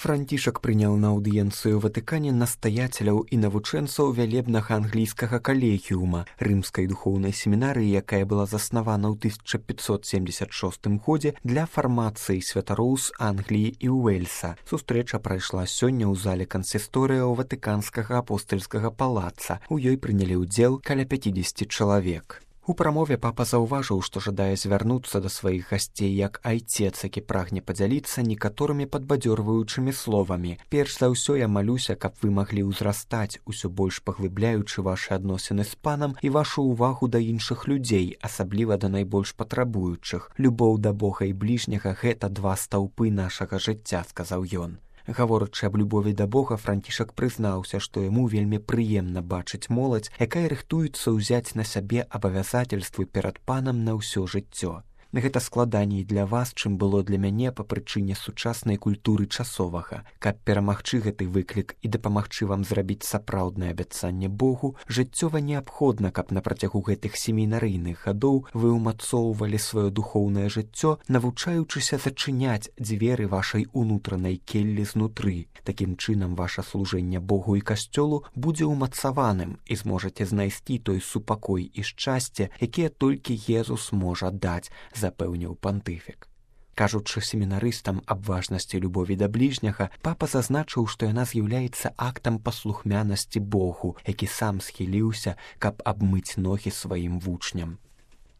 Францішак прыняў на аўдыенцыю Ватыкане настаяцеляў і навучэнцаў вялебнага англійскага калегіума рымскай духоўнай семінарыі, якая была заснавана ў 1576 годзе для фармацыі святароў з Англіі і Уэльса. Сустрэча прайшла сёння ў зале кансісторыяў Ватыканскага апостальскага палаца. У ёй прынялі ўдзел каля 50 чалавек. У прамове папа заўважыў, што жадае звярнуцца да сваіх гасцей як айцец, які прагне падзяліцца некаторымі падбадзёрваючымі словамі. Перш за ўсё я малюся, каб вы маглі ўзрастаць, усё больш паглыбляючы вашы адносіны з панам і вашу ўвагу да іншых людзей, асабліва да найбольш патрабуючых. Любоў да Бога і бліжняга – гэта два стаўпы нашага жыцця, сказаў ён. Гаворачы аб любові да Бога, Францішак прызнаўся, што яму вельмі прыемна бачыць моладзь, якая рыхтуецца ўзяць на сябе абавязательствы перад панам на ўсё жыццё. Гэта складаней для вас, чым было для мяне па прычыне сучаснай культуры часовага. Каб перамагчы гэты выклік і дапамагчы вам зрабіць сапраўднае абяцанне Богу, жыццёва неабходна, каб на працягу гэтых семінарыйных гадоў вы ўмацоўвалі сваё духоўнае жыццё, навучаючыся зачыняць дзверы вашай унутранай келлі знутры. Такім чынам, ваша служэнне Богу і касцёлу будзе ўмацаваным і зможаце знайсці той супакой і шчасце, якія толькі Езус можа даць, запэўніў пантыфік. Кажучы семінарыстам аб важнасці любові да бліжняга, папа зазначыў, што яна з'яўляецца актам паслухмянасці Богу, які сам схіліўся, каб абмыць ногі сваім вучням.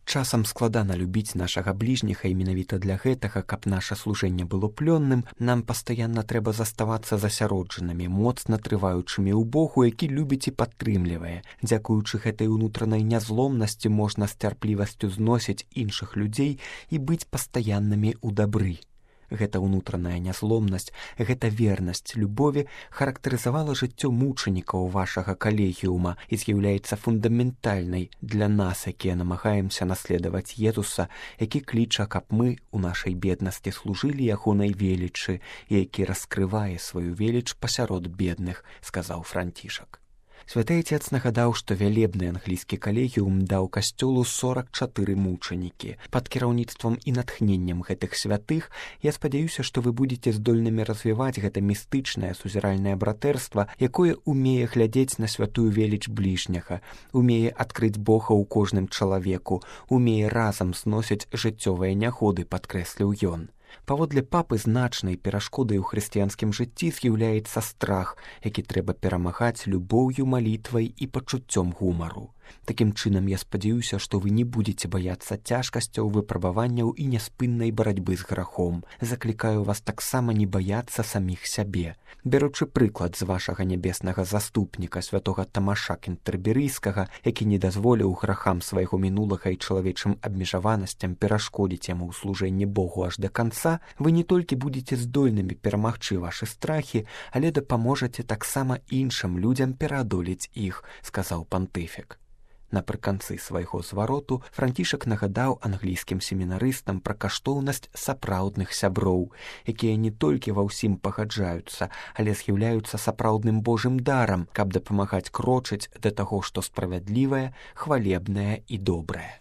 Часам складана любіць нашага бліжняга, і менавіта для гэтага, каб наша служэнне было плённым, нам пастаянна трэба заставацца засяроджанымі, моцна трываючымі ў Богу, які любіць і падтрымлівае. Дзякуючы гэтай унутранай нязломнасці можна з цярплівасцю зносіць іншых людзей і быць пастаяннымі ў дабры. Гэта ўнутраная нязломнасць, гэта вернасць любові характарызавала жыццё мучанікаў вашага калегіума і з'яўляецца фундаментальнай для нас, якія намагаемся наследаваць Езуса, які кліча, каб мы у нашай беднасці служылі ягонай велічы і які раскрывае сваю веліч пасярод бедных, сказаў Францішак. Святы Отец нагадаў, што вялебны англійскі калегіум даў касцёлу 44 мучанікі. Пад кіраўніцтвам і натхненнем гэтых святых я спадзяюся, што вы будзеце здольнымі развіваць гэта містычнае сузіральнае братэрства, якое умее глядзець на святую веліч бліжняга, умее адкрыць Бога ў кожным чалавеку, умее разам зносіць жыццёвыя нягоды, падкрэсліў ён. Паводле папы значнай перашкодай у хрысціянскім жыцці з'яўляецца страх, які трэба перамагаць любоўю, малітвай і пачуццём гумару. Такім чынам, я спадзяюся, што вы не будзеце баяцца цяжкасцяў, выпрабаванняў і няспыннай барацьбы з грахом. Заклікаю вас таксама не баяцца саміх сябе. Бяручы прыклад з вашага нябеснага заступніка, святога Тамаша Кентэрберыйскага, які не дазволіў грахам свайго мінулага і чалавечым абмежаванасцям перашкодзіць яму ў служэнні Богу аж да канца, вы не толькі будзеце здольнымі перамагчы вашы страхі, але дапаможаце таксама іншым людзям пераадолець іх, сказаў пантыфік. Напрыканцы свайго звароту Францішак нагадаў англійскім семінарыстам пра каштоўнасць сапраўдных сяброў, якія не толькі ва ўсім пагаджаюцца, але з'яўляюцца сапраўдным Божым дарам, каб дапамагаць крочыць да таго, што справядлівае, хвалебнае і добрае.